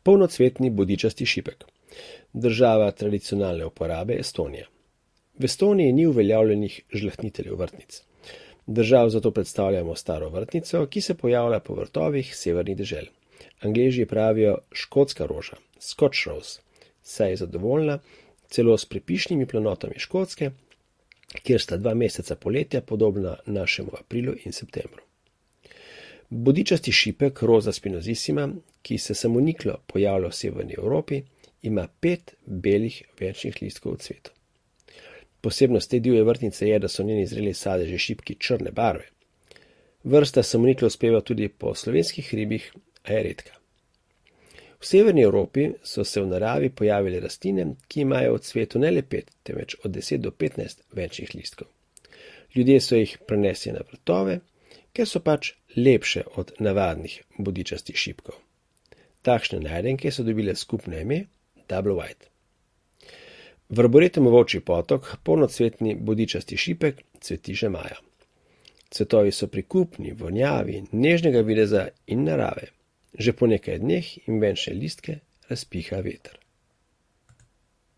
Polnocvetni bodičasti šipek. Država tradicionalne uporabe Estonija. V Estoniji ni uveljavljenih žlahtniteljev vrtnic. Držav zato predstavljamo staro vrtnico, ki se pojavlja po vrtovih severnih dežel. Angleži pravijo škotska roža, Scotch rose, saj je zadovoljna celo s prepišnimi planotami Škotske, kjer sta 2 meseca poletja podobna našemu aprilu in septembru. Bodičasti šipek Rosa spinosissima, ki se samoniklo pojavlja v severni Evropi, ima 5 belih venčnih listkov v cvetu. Posebnost te divje vrtnice je, da so njeni zreli sadeži šipki črne barve. Vrsta samoniklo uspeva tudi po slovenskih hribih, a je redka. V severni Evropi so se v naravi pojavile rastline, ki imajo v cvetu ne le 5, temveč od 10 do 15 venčnih listkov. Ljudje so jih prenesli na vrtove, ker so pač lepše od navadnih bodičastih šipkov. Takšne najdenke so dobile skupno ime Double White. V arboretumu Volčji potok polnocvetni bodičasti šipek cveti že maja. Cvetovi so prikupni, vonjavi, nežnega videza in narave. Že po nekaj dneh jim venčne listke razpiha veter.